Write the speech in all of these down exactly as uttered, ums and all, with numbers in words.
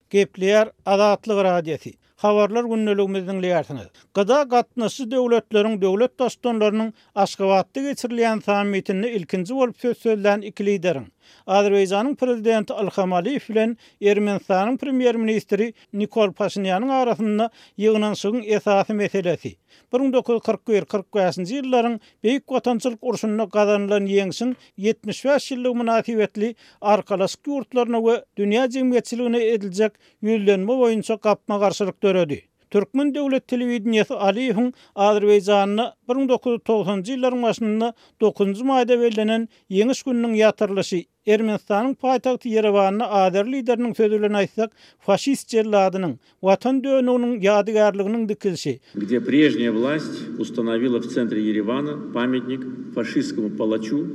Gepleýär Azatlyk Radiosy. Habarlar gündeligimizi diňleýärsiňiz. G D A gatnaşyjy döwletleriň döwlet baştutanlarynyň Aşgabatda geçirilýän sammitinde ilkinji bolup söz sözlän iki lideriň Azerbaýjanyň prezidenti Ilham Aliýew bilen Ermenistanyň premýer-ministri Nikol Paşinýanyň arasynda ýygnanyşygyň esasy meselesi bir müň dokuz ýüz kyrk bir-kyrk bäşinji ýyllaryň Beýik Watançylyk urşunda gazanylan ýeňşiň ýetmiş bäş ýyllygy mynasybetli arkalaşyk ýurtlaryna we dünýä jemgyýetçiligine ediljek ýüzlenme boýunça gapma-garşylyk döredi. Türkmen döwlet telewideniýesi Aliýewiň Azerbaýjanda bir müň dokuz ýüz togsanynjy ýyllaryň başynda dokuzynjy maýda bellenen Ýeňiş gününiň ýatyrylyşy Ermenistanyň paýtagty Ýerewanda Azer lideriniň sözi bilen aýtsak, faşist jelladynyň, watan dönüginiň ýadygärliginiň dikilişi. Где прежняя власть установила в центре Еревана памятник фашистскому палачу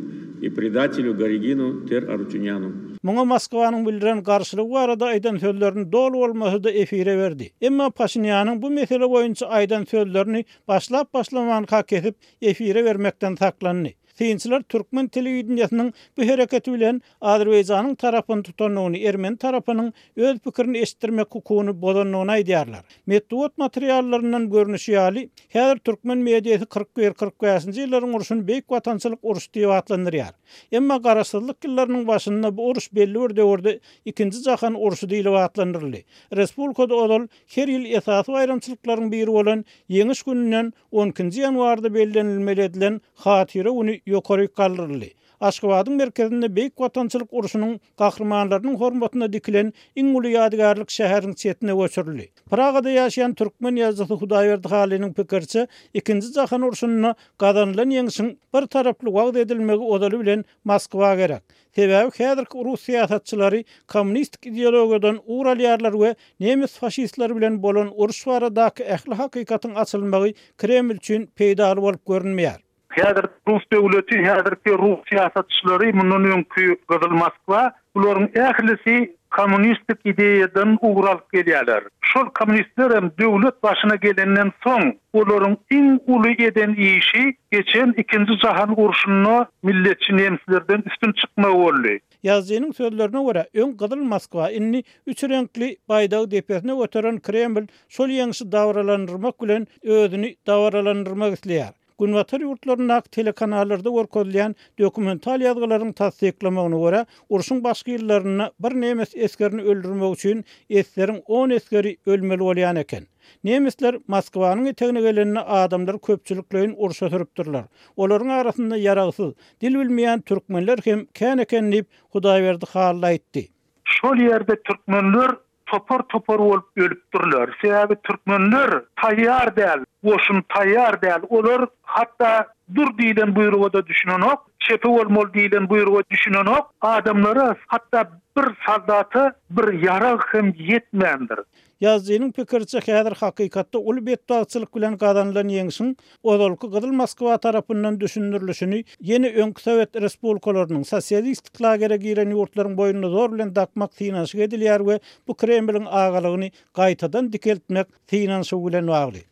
и предателю Гарегину Тер-Арутюняну. Muňa Moskwanyň bildiren garşylygy barada aýdan sözlerini doly bolmasa-da efire berdi. Emma Paşinýanyň bu mesele boýunça aýdan sözlerini başlap başlamanka kesip efire bermekden saklandy. Synçylar türkmen telewideniýesiniň bu hereketi bilen Azerbaýjanyň tarapyny tutandygyny, Ermeni tarapynyň öz pikirini eşitdirmek hukugyny bozandygyny aýdýarlar. Metbugat materiallaryndan görnüşi ýaly, häzir türkmen mediasy kyrk bir-kyrk bäşinji ýyllaryň urşuny Beýik Watançylyk urşy diýip atlandyrýar. Emma garaşsyzlyk ýyllarynyň başynda bu uruş belli bir döwürde Ikinji Jahan urşy diýip atlandyryldy. Respublikada ozal her ýyl esasy baýramçylyklaryň biri bolan Ýeňiş gününden on ikinji ýanwarda bellenilmeli edilen Hatyra güni ýokary galdyryldy. Aşgabadyň merkezinde Beýik Watançylyk urşunyň gahrymanlarynyň hormatyna dikilen iň uly ýadygärlik şäheriň çetine göçürildi. Pragada ýaşaýan türkmen ýazyjysy Hudaýberdi Halynyň pikiriçe, Ikinji Jahan urşunda gazanylan ýeňşiň bir taraply wagyz edilmegi ozaly bilen Moskwa gerek. Sebäbi häzirki rus syýasatçylary kommunistik ideologiýadan ugur alýarlar we nemes faşistleri bilen bolan uruş baradaky ähli hakykatyň açylmagy Kreml üçin peýdaly bolup görünmeýär. Häzir Rus döwleti, häzirki Rus syýasatçylary, mundan öňki Gyzyl Moskwa, bularyň ählisi kommunistik ideýadan ugur alyp gelýärler. Şol kommunistler hem döwlet başyna gelenden soň olaryň iň uly eden işi geçen ikinji Jahan urşunda milletçi nemslerden üstün çykmagy boldy. Ýazyjynyň sözlerine görä, öň Gyzyl Moskwa indi üç reňkli baýdagy depesine göteren Kreml şol ýeňşi dabaralandyrmak bilen özüni dabaralandyrmak isleýär. Günbatar ýurtlaryndaky telekanallarda görkezilýän dokumental ýazgylaryň tassyklamagyna görä, urşuň başky ýyllarynda bir nemes esgerini öldürmek üçin esgeriň on esgeri ölmeli bolýan eken. Nemesler Moskwanyň etegine gelende adamlar köpçülikleýin urşa sürüpdirler. Olaryň arasynda ýaragsyz, dil bilmeýän türkmenler hem kän eken diýip Hudaýberdi Hally aýtdy. Şol ýerde türkmenler topar-topar bolup ölüpdirler. Sebäbi türkmenler taýýar däl, goşun taýýar däl. Olar hatda dur diýlen buýruga da düşünenok, çepe bolmaly diýlen buýruga düşünenok. Adamlara hatda bir soldata bir ýarag hem ýetmändir. Ýazyjynyň pikiriçe, häzir hakykatda uly betbagtçylyk bilen gazanylan ýeňşiň ozalky Gyzyl Moskwa tarapyndan düşündirilişini ýene öňki Sowet respublikalarynyň sosialistik lagere giren ýurtlaryň boýnuna zor bilen dakmak synanyşyk edilýär we bu Kremliň agalygyny gaýtadan dikeltmek synanyşygy bilen bagly.